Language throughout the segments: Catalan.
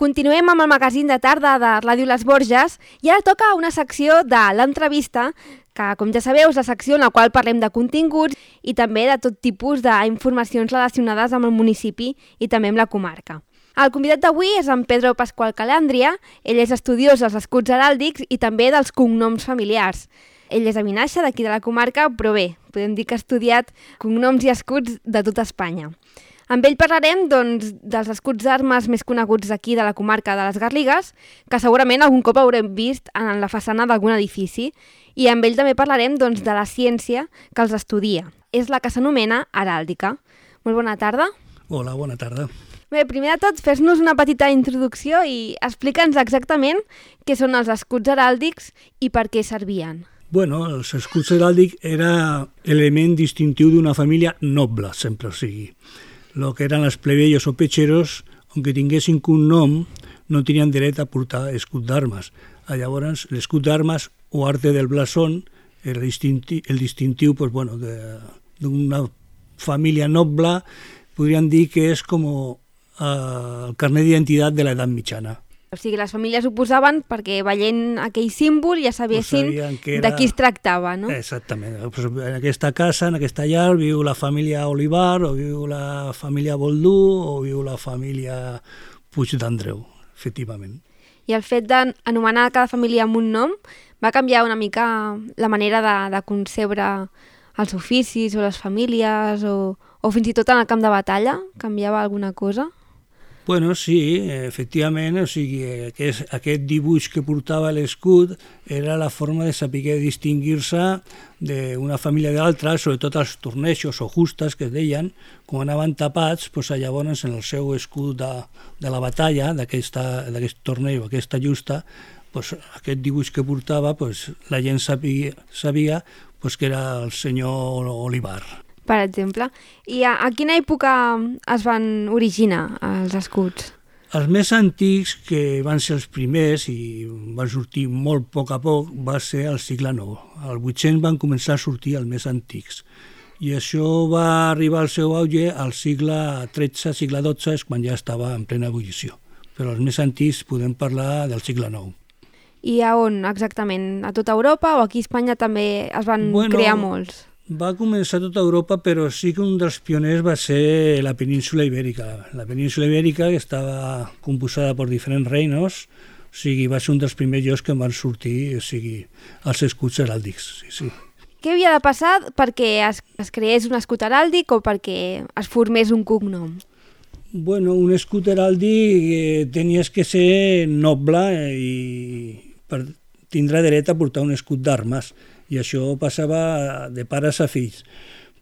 Continuem amb el magazín de tarda de Ràdio Les Borges i ara toca una secció de l'entrevista que, com ja sabeu, és la secció en la qual parlem de continguts i també de tot tipus d'informacions relacionades amb el municipi i també amb la comarca. El convidat d'avui és en Pedro Pascual Calandria. Ell és estudiós dels escuts heràldics i també dels cognoms familiars. Ell és de Vinaixa, d'aquí de la comarca, però bé, podem dir que ha estudiat cognoms i escuts de tota Espanya. Amb ell parlarem dels escuts d'armes més coneguts d'aquí de la comarca de les Garrigues, que segurament algun cop haurem vist en la façana d'algun edifici, i amb ell també parlarem de la ciència que els estudia. És la que s'anomena heràldica. Molt bona tarda. Hola, bona tarda. Bé, primer de tot, fes-nos una petita introducció i explica'ns exactament què són els escuts heràldics i per què servien. Bueno, els escuts heràldics era element distintiu d'una família noble, sempre o sigui. Lo que eren els plebeyos o petxeros, aunque tinguessin un nom, no tenien dret a portar escut d'armes. Llavors, l'escut d'armes o arte del blasón era el distintiu pues, bueno, d'una família noble, podríem dir que és com el carnet d'identitat de l'edat mitjana. O sigui, les famílies ho posaven perquè veient aquell símbol ja sabessin de qui es tractava, no? Exactament. En aquesta casa, en aquesta llar, viu la família Olivar, o viu la família Boldú, o viu la família Puig d'Andreu, efectivament. I el fet d'anomenar cada família amb un nom va canviar una mica la manera de concebre els oficis o les famílies, o fins i tot en el camp de batalla? Canviava alguna cosa? Bueno, sí, efectivament, o sigui, aquest dibuix que portava l'escut era la forma de saber distingir-se d'una família d'altra, sobretot els tornejos o justes que es deien, com anaven tapats, doncs, llavors en el seu escut de la batalla, d'aquest torneig o aquesta justa, doncs, aquest dibuix que portava, doncs, la gent sabia que era el senyor Olivar. Per exemple. I a quina època es van originar els escuts? Els més antics, que van ser els primers i van sortir molt a poc, va ser al segle IX. Al 800 van començar a sortir els més antics. I això va arribar al seu auge al segle XIII, segle XII, és quan ja estava en plena ebullició. Però els més antics podem parlar del segle IX. I a on exactament? A tota Europa o aquí a Espanya també es van crear molts? Va començar a tota Europa, però sí que un dels pioners va ser la península Ibèrica. La península Ibèrica, que estava composada per diferents reinos, o sigui, va ser un dels primers llocs que van sortir, o sigui, els escuts heràldics. Sí. Què havia de passar perquè es creés un escut heràldic o perquè es formés un cognom? Bueno, un escut heràldic tenies que ser noble i per tindre dret a portar un escut d'armes. I això passava de pares a fills.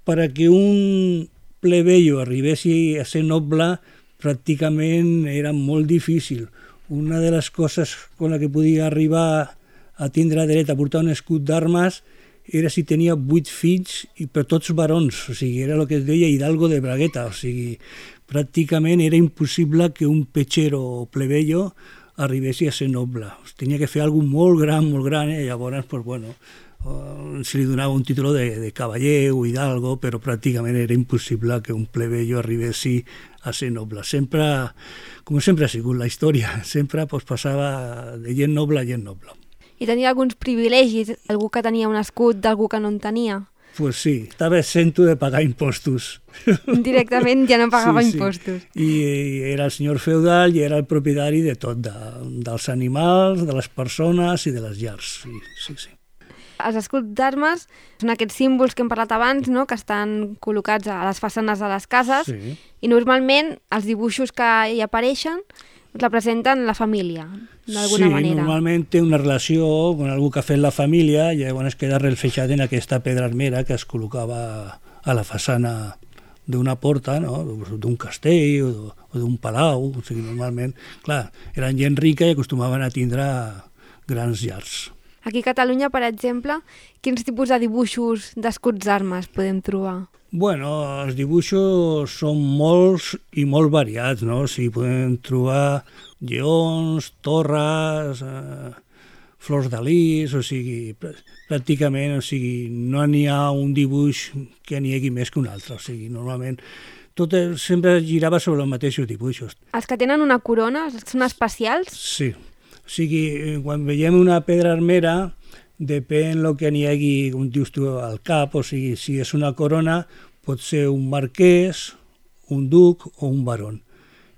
Perquè un plebeio arribessi a ser noble pràcticament era molt difícil. Una de les coses con la que podia arribar a tindre dret a portar un escut d'armes era si tenia 8 fills i per tots barons, o sigui, era el que es deia hidalgo de bragueta, o sigui, pràcticament era impossible que un petxero o plebeio arribessi a ser noble. Tenia que fer alguna cosa molt gran, i llavors, pues, bueno, se li donava un títol de cavaller o hidalgo, però pràcticament era impossible que un plebeio arribessi a ser noble. Sempre, com sempre ha sigut la història, sempre passava de gent noble a gent noble. I tenia alguns privilegis? Algú que tenia un escut d'algú que no en tenia? Pues sí, estava exento de pagar impostos. Directament ja no pagava impostos. I era el senyor feudal i era el propietari de tot, dels animals, de les persones i de les llars. Sí. Els escuts d'armes són aquests símbols que hem parlat abans, no?, que estan col·locats a les façanes de les cases, sí. I normalment els dibuixos que hi apareixen representen la família, d'alguna manera. Sí, normalment té una relació amb algú que ha fet la família i llavors queda reflexat en aquesta pedra armera que es col·locava a la façana d'una porta, no?, d'un castell o d'un palau. O sigui, normalment, clar, eren gent rica i acostumaven a tindre grans llars. Aquí a Catalunya, per exemple, quins tipus de dibuixos d'escuts d'armes podem trobar? Bueno, els dibuixos són molts i molt variats, no? O sigui, podem trobar lleons, torres, flors de lis, o sigui, pràcticament, o sigui, no n'hi ha un dibuix que n'hi hagi més que un altre. O sigui, normalment tot sempre girava sobre els mateixos dibuixos. Els que tenen una corona són especials? Sí. O sigui, quan veiem una pedra armera, depèn del que n'hi hagi, com dius tu, al cap, o sigui, si és una corona, pot ser un marquès, un duc o un barón.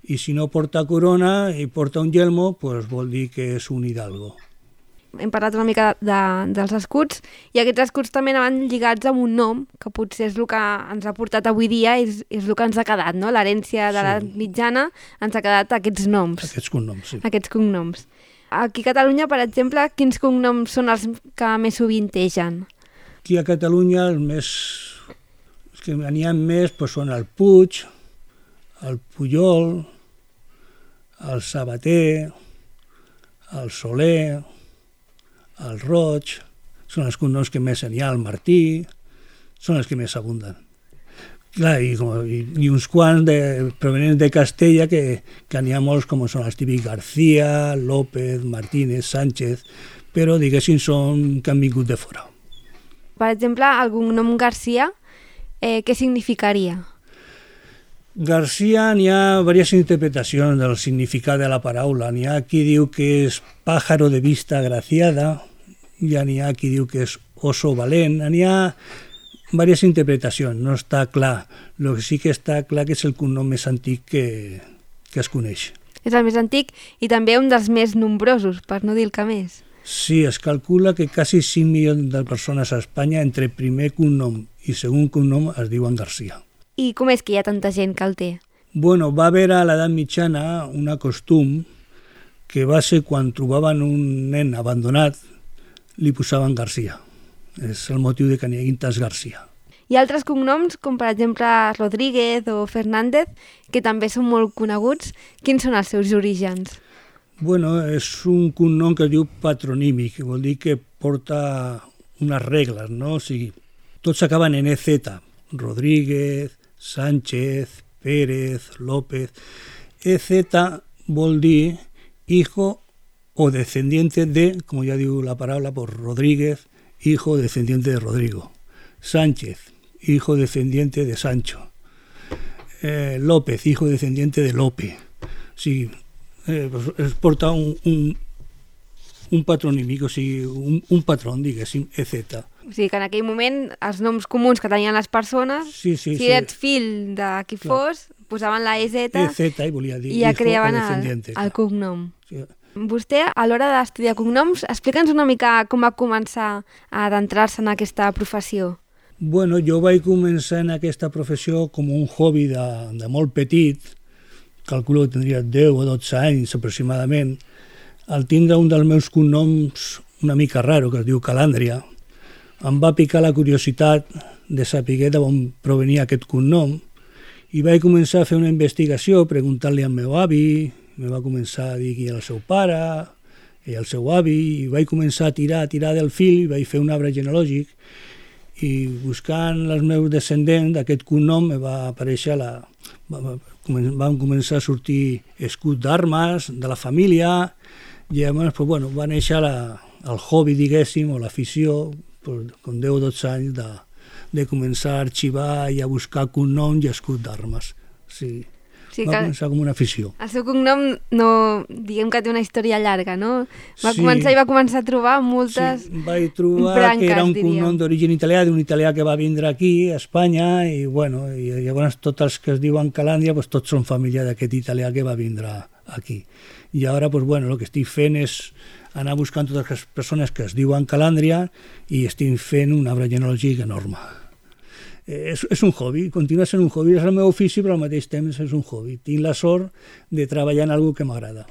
I si no porta corona i porta un yelmo, doncs vol dir que és un hidalgo. Hem parlat una mica dels escuts, i aquests escuts també anaven lligats amb un nom, que potser és el que ens ha portat avui dia, és el que ens ha quedat, no? L'herència de l'edat mitjana ens ha quedat aquests noms. Aquests cognoms, sí. Aquests cognoms. Aquí a Catalunya, per exemple, quins cognoms són els que més sovintegen? Aquí a Catalunya els que n'hi ha més doncs són el Puig, el Pujol, el Sabater, el Soler, el Roig, són els cognoms que més n'hi ha, el Martí, són els que més abunden. Clar, i uns quants provenents de Castella, que n'hi ha molts, com són els típics García, López, Martínez, Sánchez, però diguéssim són que han vingut de fora. Per exemple, el cognom García, què significaria? García, n'hi ha diverses interpretacions del significat de la paraula. N'hi ha qui diu que és pájaro de vista agraciada, n'hi ha qui diu que és oso valent, n'hi ha diverses interpretacions, no està clar. El que sí que està clar que és el cognom més antic que es coneix. És el més antic i també un dels més nombrosos, per no dir el que més. Sí, es calcula que quasi 5 milions de persones a Espanya entre primer cognom i segon cognom es diuen García. I com és que hi ha tanta gent que el té? Bueno, va haver a l'edat mitjana una costum que va ser quan trobaven un nen abandonat, li posaven García. És el motiu de que n'hi hagi tants García. Hi ha altres cognoms, com per exemple Rodríguez o Fernández, que també són molt coneguts. Quins són els seus orígens? Bueno, és un cognom que es diu patronímic, que vol dir que porta unes regles, no? O sigui, tots acaben en EZ, Rodríguez, Sánchez, Pérez, López. EZ vol dir hijo o descendiente de, como ya digo la palabra, por Rodríguez, hijo descendiente de Rodrigo. Sánchez, hijo descendiente de Sancho. López, hijo descendiente de Lope. Sí, pues porta un patronímic, o sigui, un patrón, diguéssim, EZ. O sigui que en aquell moment els noms comuns que tenien les persones, si ets fill de qui fos, posaven la EZ i volia dir i ja creaven el cognom. Sí. Vostè, a l'hora d'estudiar cognoms, explica'ns una mica com va començar a adentrar-se en aquesta professió. Bueno, jo vaig començar en aquesta professió com un hobby de molt petit, calculo que tindria 10 o 12 anys aproximadament, al tindre un dels meus cognoms una mica raro, que es diu Calàndria, em va picar la curiositat de saber d'on provenia aquest cognom i vaig començar a fer una investigació, preguntant-li al meu avi, me va començar a dir qui era el seu pare i el seu avi, i vaig començar a tirar del fil, i vaig fer un arbre genealògic, i buscant els meus descendents d'aquest cognom me va aparèixer van començar a sortir escuts d'armes de la família, i llavors va néixer el hobby, diguéssim, o l'afició, com 10 o 12 anys, de començar a arxivar i a buscar cognoms i escuts d'armes. Sí. Va començar com una afició. El seu cognom, no, diguem que té una història llarga, no? Va començar a trobar moltes branques, sí, vaig trobar que era un cognom d'origen italià, d'un italià que va vindre aquí, a Espanya, i llavors tots els que es diuen Calàndria, tots són família d'aquest italià que va vindre aquí. I ara, el que estic fent és anar buscant totes les persones que es diuen Calàndria i estic fent un arbre genealògic enorme. És un hobby, continua sent un hobby, és el meu ofici, però al mateix temps és un hobby. Tinc la sort de treballar en alguna que m'agrada.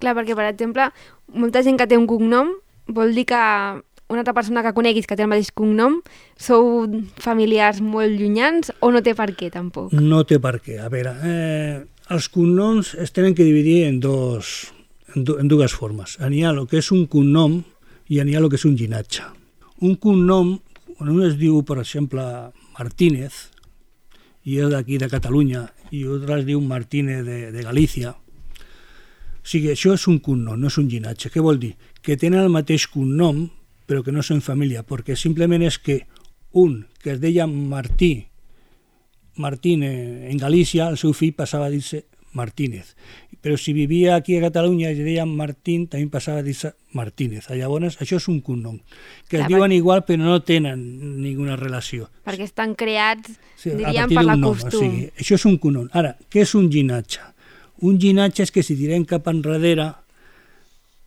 Clar, perquè, per exemple, molta gent que té un cognom vol dir que una altra persona que coneguis que té el mateix cognom sou familiars molt llunyans o no té per què, tampoc? No té per què. A veure, els cognoms es tenen que dividir en dues formes. N'hi ha el que és un cognom i n'hi ha el que és un llinatge. Un cognom, quan un es diu, per exemple, Martínez, i és d'aquí de Catalunya, i l'altre es diu Martínez de Galícia. O sigui, això és un cognom, no és un llinatge. Què vol dir? Que tenen el mateix cognom, però que no són família, perquè simplement és que un que es deia Martí Martín en Galícia, el seu fill passava a dir-se Martínez. Però si vivia aquí a Catalunya i es deia Martín, també passava a dir-se Martínez. Llavors, això és un cognom, que es diuen igual però no tenen ninguna relació. Perquè estan creats, sí, diríem, per la costum. O sigui, això és un cognom. Ara, què és un llinatge? Un llinatge és que si tirem cap enrere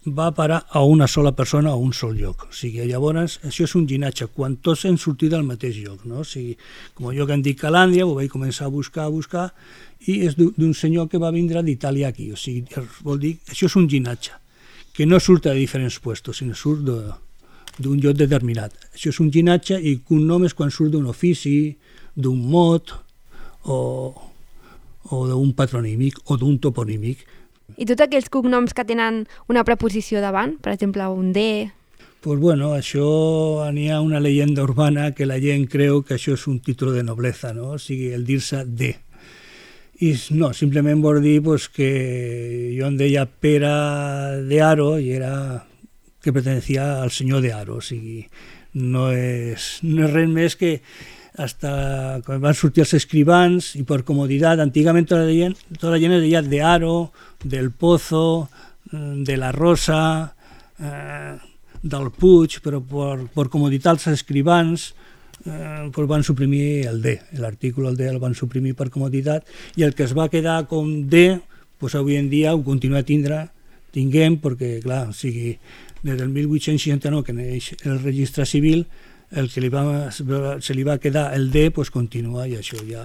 va a parar a una sola persona o a un sol lloc. O sigui, llavors, això és un llinatge, quan tots hem sortit del mateix lloc. No? O sigui, com jo que em dic Calàndria, ho vaig començar a buscar, i és d'un senyor que va vindre d'Itàlia aquí. O sigui, vol dir, això és un llinatge, que no surt de diferents puestos, sinó surt d'un lloc determinat. Això és un llinatge i cognom és quan surt d'un ofici, d'un mot, o d'un patronímic, o d'un toponímic. I tots aquells cognoms que tenen una preposició davant, per exemple, un D... Pues bueno, això n'hi ha una leyenda urbana que la gent creu que això és un títol de nobleza, no? O sigui, el dir-se D. I no, simplement vol dir pues, que jo em deia Pere de Haro i era que pertenecia al senyor de Haro, o sigui, no és res més que hasta quan van sortir els escrivans i per comoditat, antigament tota la gent es deia de Haro, del Pozo, de la Rosa, del Puig, però per comoditat els escrivans pues van suprimir el D, l'article del D el van suprimir per comoditat i el que es va quedar com D, pues avui en dia ho continua tinguem, perquè clar, o sigui, des del 1869 que neix el registre civil, el que se li va quedar el D pues continua i això ja...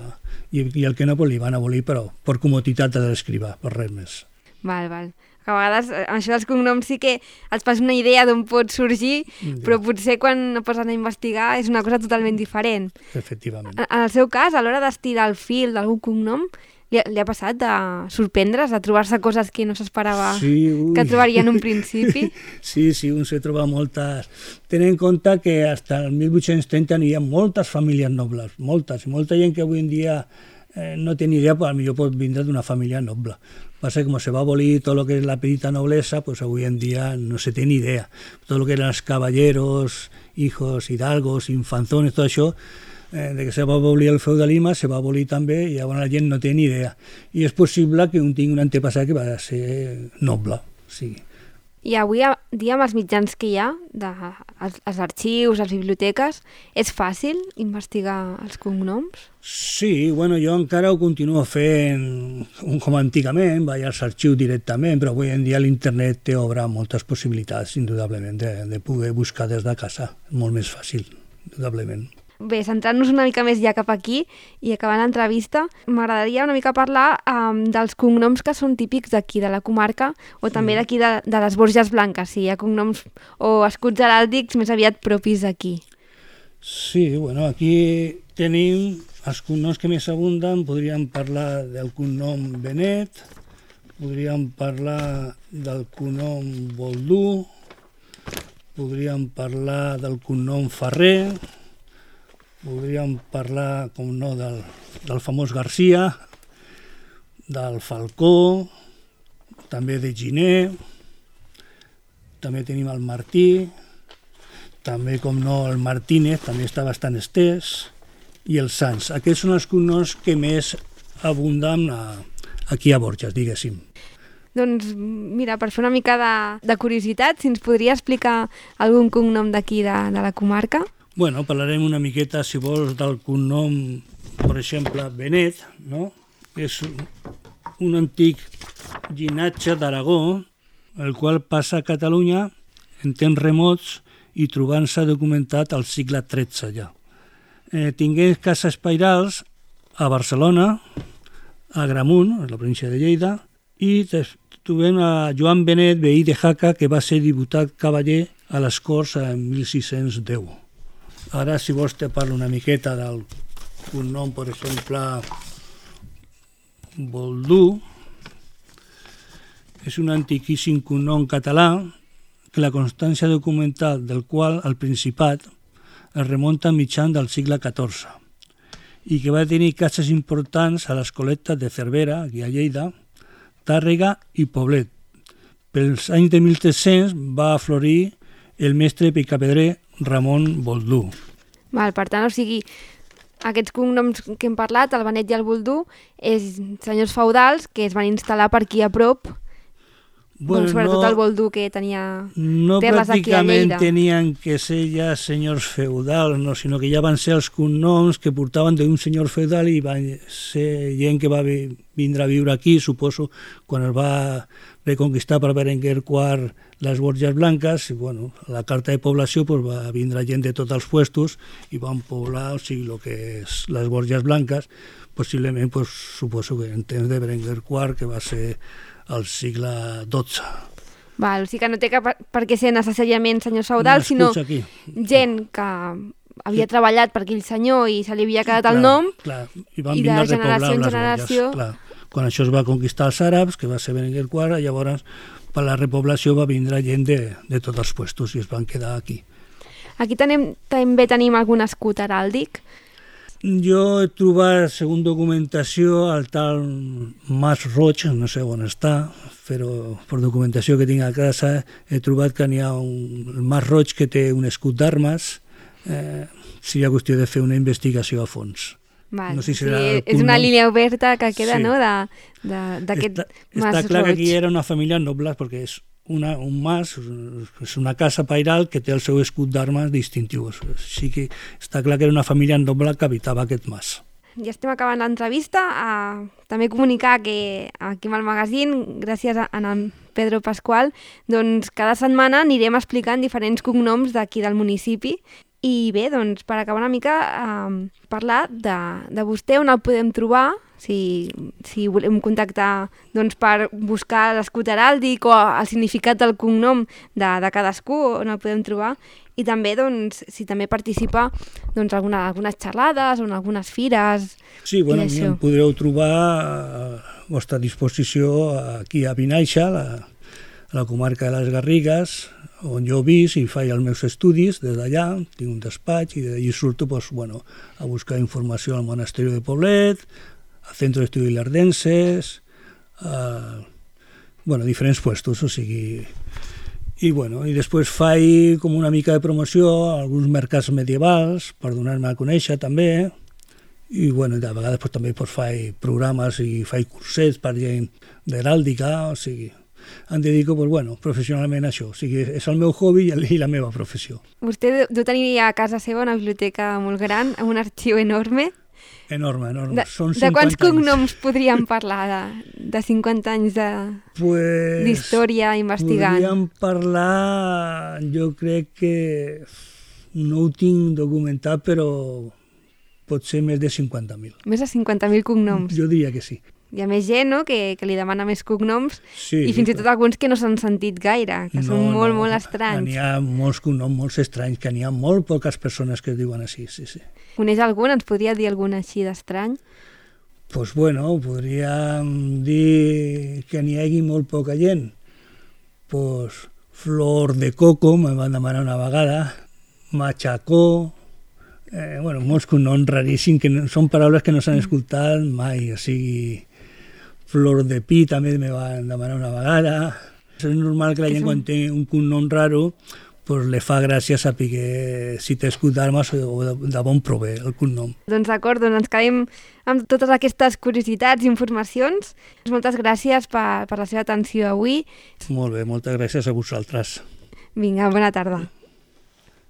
I el que no pues, li van abolir, però per comoditat de l'escrivà, per res més. Val. Que a vegades això dels cognoms sí que et fas una idea d'on pot sorgir, però potser quan posen a investigar és una cosa totalment diferent. Efectivament. En el seu cas, a l'hora d'estirar el fil d'algun cognom, li ha passat de sorprendre's, de trobar-se coses que no s'esperava que trobaria en un principi? Sí, un se troba moltes. Tenint en compte que fins el 1830 hi ha moltes famílies nobles, molta gent que avui en dia no té ni idea, potser pot vindre d'una família noble. Passa que com se va abolir tot el que és la petita noblesa, pues avui en dia no se té ni idea. Tot el que eren els caballeros, hijos, hidalgos, infanzones, tot això, de que se va abolir el feudalisme, se va abolir també i llavors la gent no té ni idea. I és possible que un tingui un antepassat que va ser noble. Sí. I avui dia amb els mitjans que hi ha, els arxius, les biblioteques, és fàcil investigar els cognoms? Sí, bueno, jo encara ho continuo fent com antigament, vaig als arxius directament, però avui en dia l'internet te obre moltes possibilitats, indudablement, de poder buscar des de casa. Molt més fàcil, indudablement. Bé, centrant-nos una mica més ja cap aquí i acabant l'entrevista, m'agradaria una mica parlar dels cognoms que són típics d'aquí, de la comarca, o també d'aquí de les Borges Blanques, si hi ha cognoms o escuts heràldics més aviat propis d'aquí. Sí, bueno, aquí tenim els cognoms que més abunden. Podríem parlar del cognom Benet, podríem parlar del cognom Boldú, podríem parlar del cognom Ferrer, podríem parlar, com no, del famós Garcia, del Falcó, també de Giner, també tenim el Martí, també, com no, el Martínez, també està bastant estès, i el Sans. Aquests són els cognoms que més abunden aquí a Borges, diguéssim. Doncs mira, per fer una mica de curiositat, si ens podria explicar algun cognom d'aquí de la comarca? Bueno, parlarem una miqueta, si vols, del cognom, per exemple, Benet, no? És un antic llinatge d'Aragó, el qual passa a Catalunya en temps remots i trobant-se documentat al segle XIII ja. Tingué cases pairals a Barcelona, a Agramunt, a la província de Lleida, i trobem a Joan Benet, veí de Jaca, que va ser diputat cavaller a les Corts en 1610. Ara, si vols, te parlo una miqueta del cognom, per exemple, Boldú. És un antiquíssim cognom català que la constància documental del qual al Principat es remunta mitjan del segle XIV i que va tenir cases importants a les col·lectes de Cervera, aquí a Lleida, Tàrrega i Poblet. Pels anys de 1300 va aflorir el mestre picapedrer Ramon Boldú. Per tant, o sigui, Aquests cognoms que hem parlat, el Benet i el Boldú, és senyors feudals que es van instal·lar per aquí a prop. Bueno, sobretot el Boldú, que tenia terres aquí a Lleida. No pràcticament tenien que ser ja senyors feudals, no, sinó que ja van ser els cognoms que portaven d'un senyor feudal i van ser gent que va vindre a viure aquí, suposo, quan es va reconquistar per Berenguer IV les Borges Blanques, i bueno, la carta de població pues, va vindre gent de tots els puestos i van poblar, o sigui, el que és les Borges Blanques, possiblement, pues, suposo que en temps de Berenguer IV, que va ser al segle XII. Val, o sigui que no té per què ser necessàriament senyors feudals, sinó aquí. Gent que havia treballat per aquell senyor i se li havia quedat el nom, clar, i van i de generació en generació... Clar. Quan això es va conquistar els àrabs, que va ser Berenguer IV, llavors per la repoblació va vindre gent de tots els puestos i es van quedar aquí. Aquí també tenim algun escut heràldic. Jo he trobat, segons documentació, el tal Mas Roig, no sé on està, però per documentació que tinc a casa he trobat que n'hi ha el Mas Roig que té un escut d'armes. Seria qüestió de fer una investigació a fons. Val, no sé si és una línia oberta que queda, sí, no?, d'aquest Mas Roig. Està clar que aquí era una família noble, perquè és un mas, és una casa pairal que té el seu escut d'armes distintiu. Així que està clar que era una família noble que habitava aquest mas. Ja estem acabant l'entrevista. També comunicar que aquí amb el magazín, gràcies a en Pedro Pascual, doncs cada setmana anirem explicant diferents cognoms d'aquí del municipi. I bé, doncs, per acabar una mica, parlar de vostè, on el podem trobar, si volem contactar doncs, per buscar l'escut heràldic o el significat del cognom de cadascú, on el podem trobar, i també, doncs, si també participa doncs, algunes xerrades o en algunes fires. Sí, bueno, em podreu trobar a vostra disposició aquí a Vinaixa, a la comarca de les Garrigues, on jo visc i faig els meus estudis des d'allà, tinc un despatx i d'allí surto pues, bueno, a buscar informació al Monasteri de Poblet, al Centre d'Estudis Lardenses, bueno, diferents puestos, o sigui... I després faig com una mica de promoció a alguns mercats medievals per donar-me a conèixer també, i bueno, de vegades pues, també pues, faig programes i faig cursets per gent d'heràldica, o sigui... Em dedico, pues, bueno, professionalment a això. O sigui, és el meu hobby i la meva professió. Vostè deu tenir a casa seva una biblioteca molt gran, amb un arxiu enorme. Enorme. Són 50 de quants cognoms podríem parlar de 50 anys d'història investigant? Podríem parlar, jo crec que no ho tinc documentat, però pot ser més de 50.000. Més de 50.000 cognoms? Jo diria que sí. Hi ha més gent, no?, que li demana més cognoms, sí, i fins i tot alguns que no s'han sentit gaire, que són molt estranys. N'hi ha molts cognoms molt estranys, que n'hi ha molt poques persones que es diuen així, sí. Coneix algun? Ens podria dir algun així d'estrany? Doncs bueno, podríem dir que n'hi hagi molt poca gent. Doncs Flor de Coco, me van demanar una vegada, Machacó, molts cognoms raríssims, que són paraules que no s'han escoltat mai, o sigui... Flor de Pi també me van demanar una vegada. És normal que la gent quan té un cognom raro pues, le fa gràcia saber si té escut d'armes o de bon prové el cognom. Doncs d'acord, doncs ens quedem amb totes aquestes curiositats i informacions. Moltes gràcies per la seva atenció avui. Molt bé, moltes gràcies a vosaltres. Vinga, bona tarda.